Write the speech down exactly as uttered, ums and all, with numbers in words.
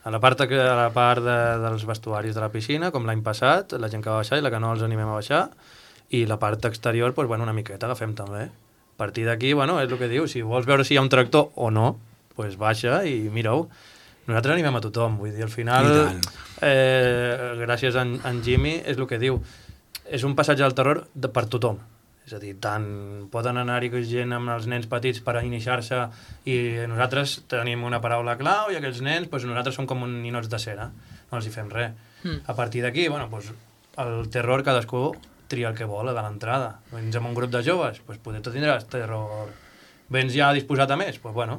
A la part, a la part de, dels vestuaris de la piscina, com l'any passat, la gent que va baixar i la que no els animem a baixar, i la part exterior, doncs, bueno, una miqueta agafem també. A partir d'aquí, bueno, és el que diu, si vols veure si hi ha un tractor o no, doncs baixa i mira-ho. Nosaltres animem a tothom, vull dir, al final, eh, gràcies a en, a en Jimmy, és el que diu, és un passatge del terror de, per tothom. És a dir, tant poden anar-hi gent amb els nens petits per a iniciar-se i nosaltres tenim una paraula clau i aquells nens, doncs nosaltres som com un ninots de cera, no els hi fem res. Mm. A partir d'aquí, bueno, doncs, el terror cadascú tria el que vol a l'entrada. Vens amb un grup de joves, doncs potser tu tindràs terror. Vens ja disposat a més, doncs bueno,